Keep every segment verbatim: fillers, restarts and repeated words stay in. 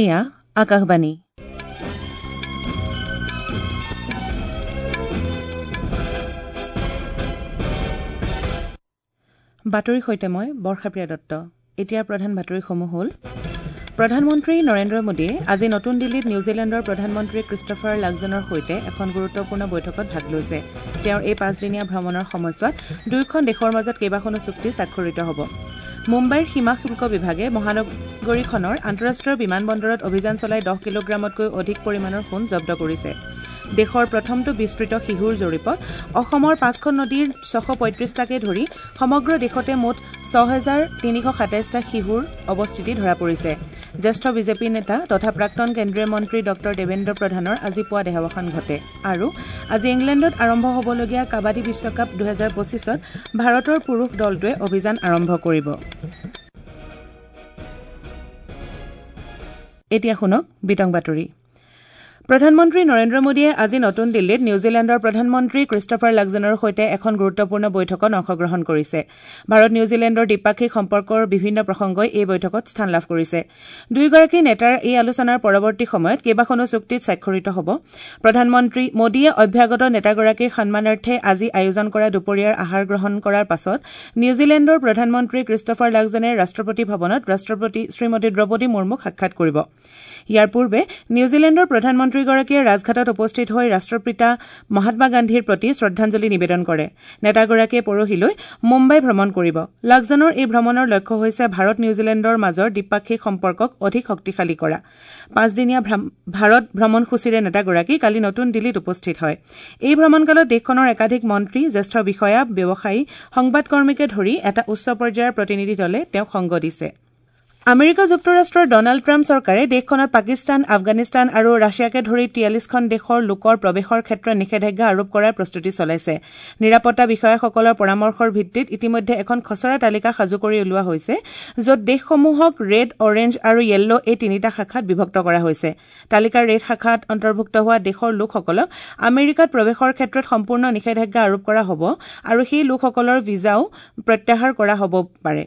এয়া আকাশবাণী। বাতৰিৰ সৈতে মই বৰ্ষাপ্ৰিয়া দত্ত। এতিয়াৰ প্ৰধান বাতৰিসমূহ হ'ল: প্ৰধানমন্ত্ৰী নৰেন্দ্ৰ মোদীয়ে আজি নতুন দিল্লীত নিউজিলেণ্ডৰ প্ৰধানমন্ত্ৰী ক্ৰিষ্টফাৰ লাক্সনৰ সৈতে এখন গুৰুত্বপূৰ্ণ বৈঠকত ভাগ লৈছে। তেওঁৰ এই পাঁচদিনীয়া ভ্ৰমণৰ সময়ছোৱাত দুয়োখন দেশৰ মাজত কেইবাখনো চুক্তি স্বাক্ষৰিত হ'ব। মুম্বাইৰ সীমা শুল্ক বিভাগে মহানগৰীখনৰ আন্তঃৰাষ্ট্ৰীয় বিমানবন্দৰত অভিযান চলাই দহ কিলোগ্ৰামতকৈ অধিক পৰিমাণৰ সোণ জব্দ কৰিছে। দেশৰ প্ৰথমটো বিস্তৃত শিহুৰ জৰীপত অসমৰ পাঁচখন নদীৰ ছশ পঁয়ত্ৰিশটাকে ধৰি সমগ্ৰ দেশতে মুঠ ছহেজাৰ তিনিশ সাতাইছটা শিহুৰ অৱস্থিতি ধৰা পৰিছে। জ্যেষ্ঠ বিজেপি নেতা তথা প্ৰাক্তন কেন্দ্ৰীয় মন্ত্ৰী ডঃ দেৱেন্দ্ৰ প্ৰধানৰ আজি পুৱা দেহাৱসান ঘটে। আৰু আজি ইংলেণ্ডত আৰম্ভ হ'বলগীয়া কাবাডী বিশ্বকাপ দুহেজাৰ পঁচিছত ভাৰতৰ পুৰুষ দলটোৱে অভিযান আৰম্ভ কৰিব। এতিয়া শুনক বিতং বাতৰি। প্ৰধানমন্ত্ৰী নৰেন্দ্ৰ মোদীয়ে আজি নতুন দিল্লীত নিউজিলেণ্ডৰ প্ৰধানমন্ত্ৰী ক্ৰিষ্টফাৰ লাক্সনৰ সৈতে এখন গুৰুত্বপূৰ্ণ বৈঠকত অংশগ্ৰহণ কৰিছে। ভাৰত নিউজিলেণ্ডৰ দ্বিপাক্ষিক সম্পৰ্কৰ বিভিন্ন প্ৰসংগই এই বৈঠকত স্থান লাভ কৰিছে। দুয়োগৰাকী নেতাৰ এই আলোচনাৰ পৰৱৰ্তী সময়ত কেইবাখনো চুক্তিত স্বাক্ষৰিত হ'ব। প্ৰধানমন্ত্ৰী মোদীয়ে অভ্যাগত নেতাগৰাকীৰ সন্মানাৰ্থে আজি আয়োজন কৰা দুপৰীয়াৰ আহাৰ গ্ৰহণ কৰাৰ পাছত নিউজিলেণ্ডৰ প্ৰধানমন্ত্ৰী ক্ৰিষ্টফাৰ লাক্সনে ৰাষ্ট্ৰপতি ভৱনত ৰাষ্ট্ৰপতি শ্ৰীমতী দ্ৰৌপদী মুৰ্মুক সাক্ষাৎ কৰিব। ইয়াৰ পূৰ্বে নিউজিলেণ্ডৰ প্ৰধানমন্ত্ৰীগৰাকীয়ে ৰাজঘাটত উপস্থিত হৈ ৰাষ্ট্ৰপিতা মহাত্মা গান্ধীৰ প্ৰতি শ্ৰদ্ধাঞ্জলি নিবেদন কৰে। নেতাগৰাকীয়ে পৰহিলৈ মুম্বাই ভ্ৰমণ কৰিব। লাক্সনৰ এই ভ্ৰমণৰ লক্ষ্য হৈছে ভাৰত নিউজিলেণ্ডৰ মাজৰ দ্বিপাক্ষিক সম্পৰ্কক অধিক শক্তিশালী কৰা। পাঁচদিনীয়া ভাৰত ভ্ৰমণসূচীৰে নেতাগৰাকী কালি নতুন দিল্লীত উপস্থিত হয়। এই ভ্ৰমণকালত দেশখনৰ একাধিক মন্ত্ৰী, জ্যেষ্ঠ বিষয়া, ব্যৱসায়ী, সংবাদকৰ্মীকে ধৰি এটা উচ্চ পৰ্যায়ৰ প্ৰতিনিধি দলে তেওঁক সংগ দিছে। আমেৰিকা যুক্তৰাষ্ট্ৰৰ ডনাল্ড ট্ৰাম্প চৰকাৰে দেশখনত পাকিস্তান, আফগানিস্তান আৰু ৰাছিয়াকে ধৰি তিয়াল্লিছখন দেশৰ লোকৰ প্ৰৱেশৰ ক্ষেত্ৰত নিষেধাজ্ঞা আৰোপ কৰাৰ প্ৰস্তুতি চলাইছে। নিৰাপত্তা বিষয়াসকলৰ পৰামৰ্শৰ ভিত্তিত ইতিমধ্যে এখন খচৰা তালিকা সাজু কৰি উলিওৱা হৈছে, য'ত দেশসমূহক ৰেড, অৰেঞ্জ আৰু য়েল্ল' এই তিনিটা শাখাত বিভক্ত কৰা হৈছে। তালিকাৰ ৰেড শাখাত অন্তৰ্ভুক্ত হোৱা দেশৰ লোকসকলক আমেৰিকাত প্ৰৱেশৰ ক্ষেত্ৰত সম্পূৰ্ণ নিষেধাজ্ঞা আৰোপ কৰা হ'ব আৰু সেই লোকসকলৰ ভিছাও প্ৰত্যাহাৰ কৰা হ'ব পাৰে।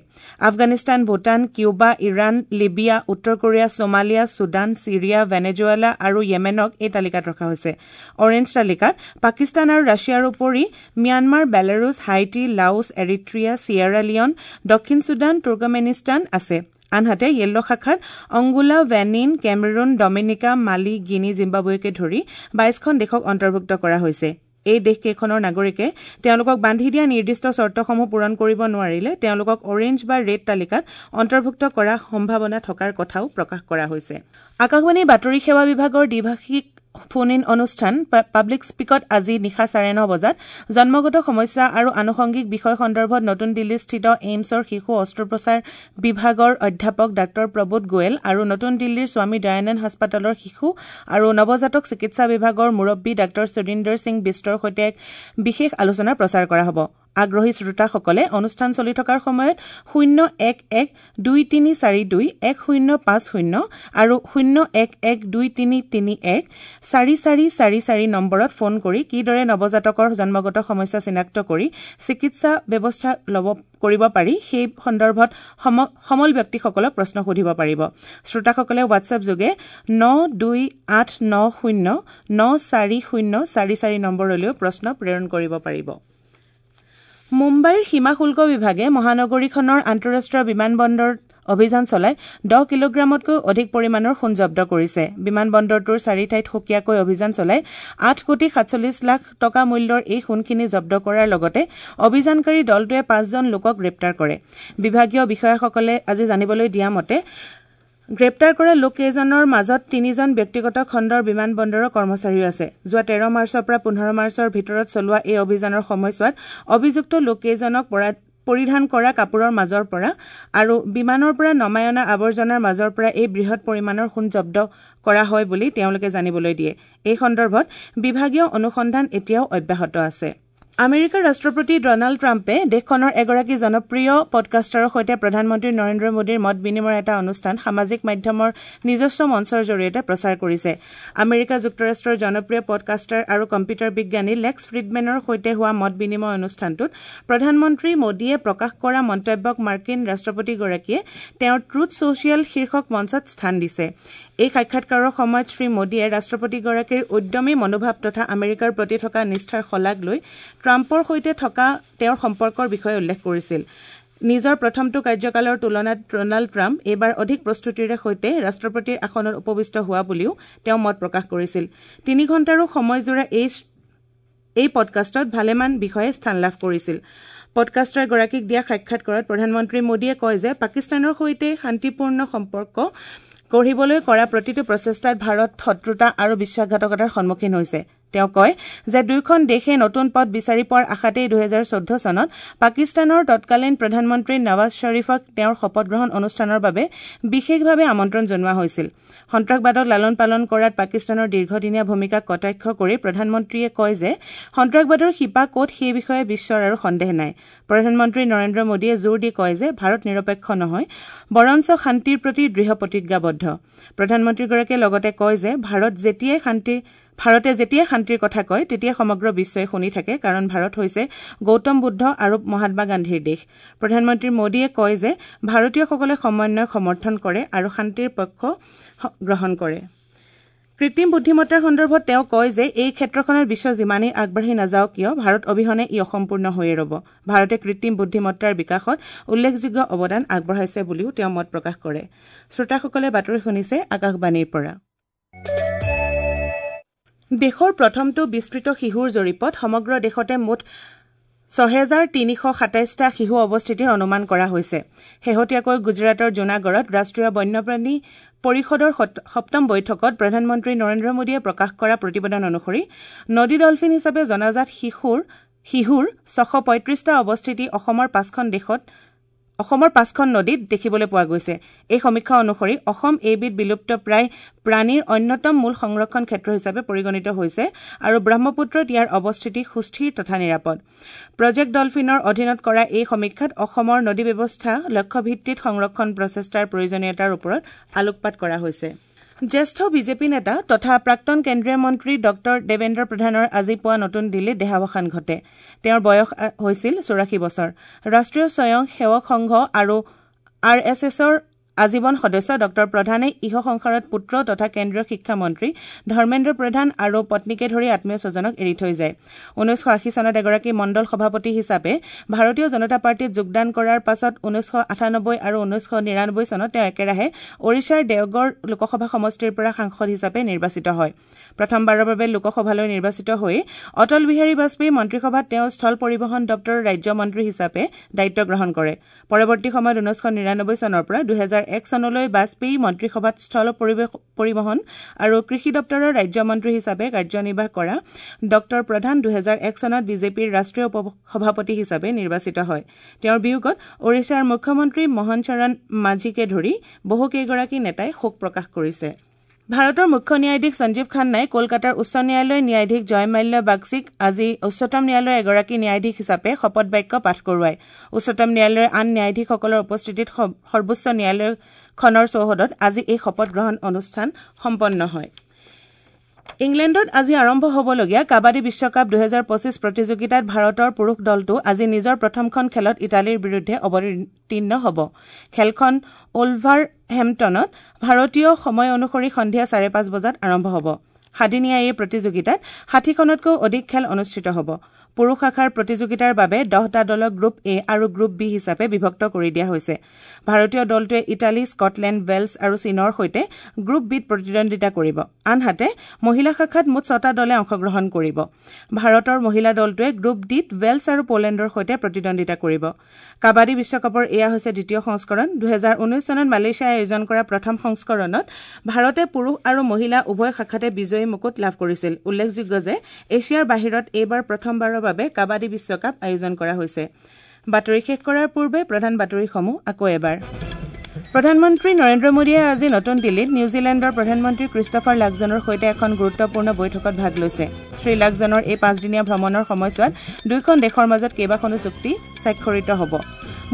Afghanistan, Bhutan, Cuba, Iran, Libya, উত্তৰ কোৰিয়া, ছোমালিয়া, ছুডান, ছিৰিয়া, ভেনেজুৱেলা আৰু য়েমেনক এই তালিকাত ৰখা হৈছে। অৰেঞ্জ তালিকাত পাকিস্তান আৰু ৰাছিয়াৰ উপৰি Myanmar, Belarus, Haiti, Laos, Eritrea, Sierra Leone, দক্ষিণ ছুডান, তুৰ্কমেনিস্তান আছে। আনহাতে য়েল্ল' শাখাত Angola, Benin, Cameroon, Dominica, Mali, Guinea, জিম্বাবুৱেকে ধৰি বাইশখন দেশক অন্তৰ্ভুক্ত কৰা হৈছে। এই দেশকেইখনৰ নাগৰিকে তেওঁলোকক বান্ধি দিয়া নিৰ্দিষ্ট চৰ্তসমূহ পূৰণ কৰিব নোৱাৰিলে তেওঁলোকক অৰেঞ্জ বা ৰেড তালিকাত অন্তৰ্ভুক্ত কৰাৰ সম্ভাৱনা থকাৰ কথাও প্ৰকাশ কৰা হৈছে। আকাশবাণীৰ বাতৰি সেৱা বিভাগৰ দ্বিভাষিক ফোন ইন অনুষ্ঠান পাব্লিক স্পীকত আজি নিশা চাৰে ন বজাত জন্মগত সমস্যা আৰু আনুষংগিক বিষয় সন্দৰ্ভত নতুন দিল্লীস্থিত এইমছৰ শিশু অস্ত্ৰোপচাৰ বিভাগৰ অধ্যাপক ডাঃ প্ৰবোধ গোৱেল আৰু নতুন দিল্লীৰ স্বামী দয়ানন্দ হাস্পতালৰ শিশু আৰু নৱজাতক চিকিৎসা বিভাগৰ মুৰব্বী ডাঃ সুৰিন্দৰ সিং বিষ্টৰ সৈতে এক বিশেষ আলোচনা প্ৰচাৰ কৰা হ'ব। আগ্ৰহী শ্ৰোতাসকলে অনুষ্ঠান চলি থকাৰ সময়ত শূন্য এক এক দুই তিনি চাৰি দুই এক শূন্য পাঁচ শূন্য আৰু শূন্য এক এক দুই তিনি তিনি এক চাৰি চাৰি চাৰি চাৰি নম্বৰত ফোন কৰি কিদৰে নৱজাতকৰ জন্মগত সমস্যা চিনাক্ত কৰি চিকিৎসা ব্যৱস্থা ল'ব কৰিব পাৰি সেই সন্দৰ্ভত সমল ব্যক্তিসকলক প্ৰশ্ন সুধিব পাৰিব। শ্ৰোতাসকলে হোৱাটছএপ যোগে ন দুই আঠ ন শূন্য ন চাৰি শূন্য চাৰি চাৰি নম্বৰলৈও প্ৰশ্ন প্ৰেৰণ কৰিব পাৰিব। মুম্বাইৰ সীমা শুল্ক বিভাগে মহানগৰীখনৰ আন্তঃৰাষ্ট্ৰীয় বিমানবন্দৰত অভিযান চলাই দহ কিলোগ্ৰামতকৈ অধিক পৰিমাণৰ সোণ জব্দ কৰিছে। বিমানবন্দৰটোৰ চাৰি ঠাইত সুকীয়াকৈ অভিযান চলাই আঠ কোটি সাতচল্লিছ লাখ টকা মূল্যৰ এই সোণখিনি জব্দ কৰাৰ লগতে অভিযানকাৰী দলটোৱে পাঁচজন লোকক গ্ৰেপ্তাৰ কৰে। বিভাগীয় বিষয়াসকলে আজি জানিবলৈ দিয়া মতে গ্ৰেপ্তাৰ কৰা লোককেইজনৰ মাজত তিনিজন ব্যক্তিগত খণ্ডৰ বিমানবন্দৰৰ কৰ্মচাৰীও আছে। যোৱা তেৰ মাৰ্চৰ পৰা পোন্ধৰ মাৰ্চৰ ভিতৰত চলোৱা এই অভিযানৰ সময়ছোৱাত অভিযুক্ত লোককেইজনক পৰিধান কৰা কাপোৰৰ মাজৰ পৰা আৰু বিমানৰ পৰা নমাই অনা আৱৰ্জনাৰ মাজৰ পৰা এই বৃহৎ পৰিমাণৰ সোণ জব্দ কৰা হয় বুলি তেওঁলোকে জানিবলৈ দিয়ে। এই সন্দৰ্ভত বিভাগীয় অনুসন্ধান এতিয়াও অব্যাহত আছে। আমেৰিকাৰ ৰাষ্ট্ৰপতি ডনাল্ড ট্ৰাম্পে দেশখনৰ এগৰাকী জনপ্ৰিয় পডকাষ্টাৰৰ সৈতে প্ৰধানমন্ত্ৰী নৰেন্দ্ৰ মোদীৰ মত বিনিময়ৰ এটা অনুষ্ঠান সামাজিক মাধ্যমৰ নিজস্ব মঞ্চৰ জৰিয়তে প্ৰচাৰ কৰিছে। আমেৰিকা যুক্তৰাষ্ট্ৰৰ জনপ্ৰিয় পডকাষ্টাৰ আৰু কম্পিউটাৰ বিজ্ঞানী লেক্স ফ্ৰিডমেনৰ সৈতে হোৱা মত বিনিময় অনুষ্ঠানটোত প্ৰধানমন্ত্ৰী মোদীয়ে প্ৰকাশ কৰা মন্তব্যক মাৰ্কিন ৰাষ্ট্ৰপতিগৰাকীয়ে তেওঁৰ ট্ৰুথ ছ'চিয়েল শীৰ্ষক মঞ্চত স্থান দিছে। এই সাক্ষাৎকাৰৰ সময়ত শ্ৰী মোদীয়ে ৰাষ্ট্ৰপতিগৰাকীৰ উদ্যমী মনোভাৱ তথা আমেৰিকাৰ প্ৰতি থকা নিষ্ঠাৰ শলাগ লৈ ট্ৰাম্পৰ সৈতে থকা তেওঁৰ সম্পৰ্কৰ বিষয়ে উল্লেখ কৰিছিল। নিজৰ প্ৰথমটো কাৰ্যকালৰ তুলনাত ডনাল্ড ট্ৰাম্প এইবাৰ অধিক প্ৰস্তুতিৰে সৈতে ৰাষ্ট্ৰপতিৰ আসনত উপবিষ্ট হোৱা বুলিও তেওঁ মত প্ৰকাশ কৰিছিল। তিনি ঘণ্টাৰো সময়জোৰা এই এই পডকাষ্টত ভালেমান বিষয়ে স্থান লাভ কৰিছিল। পডকাষ্টাৰগৰাকীক দিয়া সাক্ষাৎকাৰত প্ৰধানমন্ত্ৰী মোদীয়ে কয় যে পাকিস্তানৰ সৈতে শান্তিপূৰ্ণ সম্পৰ্ক গঢ়িবলৈ কৰা প্ৰতিটো প্ৰচেষ্টাত ভাৰত শত্ৰুতা আৰু বিশ্বাসঘাতকতাৰ সন্মুখীন হৈছে। তেওঁ কয় যে দুয়োখন দেশে নতুন পথ বিচাৰি পোৱাৰ আশাতেই দুহেজাৰ চৈধ্য চনত পাকিস্তানৰ তৎকালীন প্ৰধানমন্ত্ৰী নৱাজ শ্বৰীফক তেওঁৰ শপতগ্ৰহণ অনুষ্ঠানৰ বাবে বিশেষভাৱে আমন্ত্ৰণ জনোৱা হৈছিল। সন্ত্ৰাসবাদক লালন পালন কৰাত পাকিস্তানৰ দীৰ্ঘদিনীয়া ভূমিকাক কটাক্ষ কৰি প্ৰধানমন্ত্ৰীয়ে কয় যে সন্ত্ৰাসবাদৰ শিপা ক'ত সেই বিষয়ে বিশ্বৰ আৰু সন্দেহ নাই। প্ৰধানমন্ত্ৰী নৰেন্দ্ৰ মোদীয়ে জোৰ দি কয় যে ভাৰত নিৰপেক্ষ নহয়, বৰঞ্চ শান্তিৰ প্ৰতি দৃঢ় প্ৰতিজ্ঞাবদ্ধ। প্ৰধানমন্ত্ৰীগৰাকীয়ে লগতে কয় যে ভাৰত যেতিয়াই শান্তি ভাৰতে যেতিয়াই শান্তিৰ কথা কয় তেতিয়াই সমগ্ৰ বিশ্বই শুনি থাকে, কাৰণ ভাৰত হৈছে গৌতম বুদ্ধ আৰু মহাত্মা গান্ধীৰ দেশ। প্ৰধানমন্ত্ৰী মোদীয়ে কয় যে ভাৰতীয়সকলে সমন্বয়ক সমৰ্থন কৰে আৰু শান্তিৰ পক্ষ গ্ৰহণ কৰে। কৃত্ৰিম বুদ্ধিমত্তাৰ সন্দৰ্ভত তেওঁ কয় যে এই ক্ষেত্ৰখনত বিশ্ব যিমানেই আগবাঢ়ি নাযাওক কিয়, ভাৰত অবিহনে ই অসম্পূৰ্ণ হৈয়ে ৰ'ব। ভাৰতে কৃত্ৰিম বুদ্ধিমত্তাৰ বিকাশত উল্লেখযোগ্য অৱদান আগবঢ়াইছে বুলিও তেওঁ মত প্ৰকাশ কৰে। শ্ৰোতাসকলে বাতৰি শুনিছে আকাশবাণীৰ পৰা। দেশৰ প্ৰথমটো বিস্তৃত শিহুৰ জৰীপত সমগ্ৰ দেশতে মুঠ ছহেজাৰ তিনিশ সাতাইছটা শিহু অৱস্থিতিৰ অনুমান কৰা হৈছে। শেহতীয়াকৈ গুজৰাটৰ জুনাগড়ত ৰাষ্ট্ৰীয় বন্যপ্ৰাণী পৰিষদৰ সপ্তম বৈঠকত প্ৰধানমন্ত্ৰী নৰেন্দ্ৰ মোদীয়ে প্ৰকাশ কৰা প্ৰতিবেদন অনুসৰি নদী ডলফিন হিচাপে জনাজাত শিশুৰ শিহুৰ ছশ পঁয়ত্ৰিছটা অৱস্থিতি অসমৰ পাঁচখন দেশত অসমৰ পাঁচখন নদীত দেখিবলৈ পোৱা গৈছে। এই সমীক্ষা অনুসৰি অসম এইবিধ বিলুপ্তপ্ৰায় প্ৰাণীৰ অন্যতম মূল সংৰক্ষণ ক্ষেত্ৰ হিচাপে পৰিগণিত হৈছে আৰু ব্ৰহ্মপুত্ৰত ইয়াৰ অৱস্থিতি সুস্থিৰ তথা নিৰাপদ। প্ৰজেক্ট ডলফিনৰ অধীনত কৰা এই সমীক্ষাত অসমৰ নদী ব্যৱস্থা লক্ষ্যভিত্তিত সংৰক্ষণ প্ৰচেষ্টাৰ প্ৰয়োজনীয়তাৰ ওপৰত আলোকপাত কৰা হৈছে। জ্যেষ্ঠ বিজেপি নেতা তথা প্ৰাক্তন কেন্দ্ৰীয় মন্ত্ৰী ডঃ দেৱেন্দ্ৰ প্ৰধানৰ আজি পুৱা নতুন দিল্লীত দেহাৱসান ঘটে। তেওঁৰ বয়স হৈছিল চৌৰাশী বছৰ। ৰাষ্ট্ৰীয় স্বয়ং সেৱক সংঘ আৰু আৰ এছ এছৰ আজীৱন সদস্য ডঃ প্ৰধানে ইহ সংসাৰত পুত্ৰ তথা কেন্দ্ৰীয় শিক্ষামন্ত্ৰী ধৰ্মেন্দ্ৰ প্ৰধান আৰু পত্নীকে ধৰি আত্মীয় স্বজনক এৰি থৈ যায়। ঊনৈছশ আশী চনত এগৰাকী মণ্ডল সভাপতি হিচাপে ভাৰতীয় জনতা পাৰ্টীত যোগদান কৰাৰ পাছত ঊনৈছশ আঠানব্বৈ আৰু ঊনৈছশ নিৰানব্বৈ চনত তেওঁ একেৰাহে ওড়িশাৰ দেওগড় লোকসভা সমষ্টিৰ পৰা সাংসদ হিচাপে নিৰ্বাচিত হয়। প্ৰথমবাৰৰ বাবে লোকসভালৈ নিৰ্বাচিত হৈ অটল বিহাৰী বাজপেয়ী মন্ত্ৰীসভাত তেওঁ স্থল পৰিবহণ দপ্তৰৰ ৰাজ্যমন্ত্ৰী হিচাপে দায়িত্ব গ্ৰহণ কৰে। পৰৱৰ্তী সময়ত ঊনৈছশ নিৰানব্বৈ চনৰ পৰা দুহেজাৰ এক চনলৈ বাজপেয়ী মন্ত্ৰীসভাত স্থল পৰিবহণ আৰু কৃষি দপ্তৰৰ ৰাজ্যমন্ত্ৰী হিচাপে কাৰ্যনিৰ্বাহ কৰা ডঃ প্ৰধান দুহেজাৰ এক চনত বিজেপিৰ ৰাষ্ট্ৰীয় উপ সভাপতি হিচাপে নিৰ্বাচিত হয়। তেওঁৰ বিয়োগত ওড়িশাৰ মুখ্যমন্ত্ৰী মোহন চৰণ মাঝীকে ধৰি বহুকেইগৰাকী নেতাই শোক প্ৰকাশ কৰিছে। ভাৰতৰ মুখ্য ন্যায়াধীশ সঞ্জীৱ খান্নাই কলকাতাৰ উচ্চ ন্যায়ালয়ৰ ন্যায়াধীশ জয়মাল্য বাগচীক আজি উচ্চতম ন্যায়ালয়ৰ এগৰাকী ন্যায়াধীশ হিচাপে শপত বাক্য পাঠ কৰোৱায়। উচ্চতম ন্যায়ালয়ৰ আন ন্যায়াধীশসকলৰ উপস্থিতিত সৰ্বোচ্চ ন্যায়ালয়খনৰ চৌহদত আজি এই শপত গ্ৰহণ অনুষ্ঠান সম্পন্ন হয়। ইংলেণ্ডত আজি আৰম্ভ হ'বলগীয়া কাবাডী বিশ্বকাপ দুহেজাৰ পঁচিছ প্ৰতিযোগিতাত ভাৰতৰ পুৰুষ দলটো আজি নিজৰ প্ৰথমখন খেলত ইটালীৰ বিৰুদ্ধে অৱতীৰ্ণ হ'ব। খেলখন ওলভাৰহেম্পটনত ভাৰতীয় সময় অনুসৰি সন্ধিয়া চাৰে পাঁচ বজাত আৰম্ভ হ'ব। সাদিনীয়া এই প্ৰতিযোগিতাত ষাঠিখনতকৈও অধিক খেল অনুষ্ঠিত হ'ব। পুৰুষ শাখাৰ প্ৰতিযোগিতাৰ বাবে দহটা দলক গ্ৰুপ এ আৰু গ্ৰুপ বি হিচাপে বিভক্ত কৰি দিয়া হৈছে। ভাৰতীয় দলটোৱে ইটালী, স্কটলেণ্ড, ৱেলছ আৰু চীনৰ সৈতে গ্ৰুপ বিত প্ৰতিদ্বন্দ্বিতা কৰিব। আনহাতে মহিলা শাখাত মুঠ ছটা দলে অংশগ্ৰহণ কৰিব। ভাৰতৰ মহিলা দলটোৱে গ্ৰুপ ডিত ৱেলছ আৰু পোলেণ্ডৰ সৈতে প্ৰতিদ্বন্দ্বিতা কৰিব। কাবাডী বিশ্বকাপৰ এয়া হৈছে দ্বিতীয় সংস্কৰণ। দুহেজাৰ ঊনৈছ চনত মালয়েছিয়াই আয়োজন কৰা প্ৰথম সংস্কৰণত ভাৰতে পুৰুষ আৰু মহিলা উভয় শাখাতে বিজয়ী মুকুট লাভ কৰিছিল। উল্লেখযোগ্য যে এছিয়াৰ বাহিৰত এইবাৰ প্ৰথমবাৰৰ বাবে কাবাডী বিশ্বকাপ আয়োজন কৰা হৈছে। বাতৰি শেষ কৰাৰ পূৰ্বে প্ৰধান বাতৰিসমূহ আকৌ এবাৰ। প্ৰধানমন্ত্ৰী নৰেন্দ্ৰ মোদীয়ে আজি নতুন দিল্লীত নিউজিলেণ্ডৰ প্ৰধানমন্ত্ৰী ক্ৰিষ্টফাৰ লাকজনৰ সৈতে এখন গুৰুত্বপূৰ্ণ বৈঠকত ভাগ লৈছে। শ্ৰীলাকজনৰ এই পাঁচদিনীয়া ভ্ৰমণৰ সময়ছোৱাত দুয়োখন দেশৰ মাজত কেইবাখনো চুক্তি স্বাক্ষৰিত হ'ব।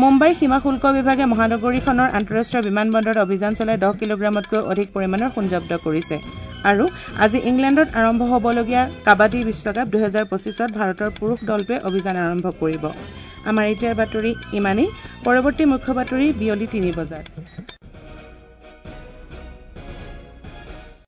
মুম্বাইৰ সীমা শুল্ক বিভাগে মহানগৰীখনৰ আন্তঃৰাষ্ট্ৰীয় বিমানবন্দৰত অভিযান চলাই দহ কিলোগ্ৰামতকৈ অধিক পৰিমাণৰ সোণ জব্দ কৰিছে। আৰু আজি ইংলেণ্ডত আৰম্ভ হ'বলগীয়া কাবাডী বিশ্বকাপ দুহেজাৰ পঁচিছত ভাৰতৰ পুৰুষ দলটোৱে অভিযান আৰম্ভ কৰিব। আমাৰ এতিয়াৰ বাতৰি ইমানেই। পৰৱৰ্তী মুখ্য বাতৰি বিয়লি তিনি বজাত।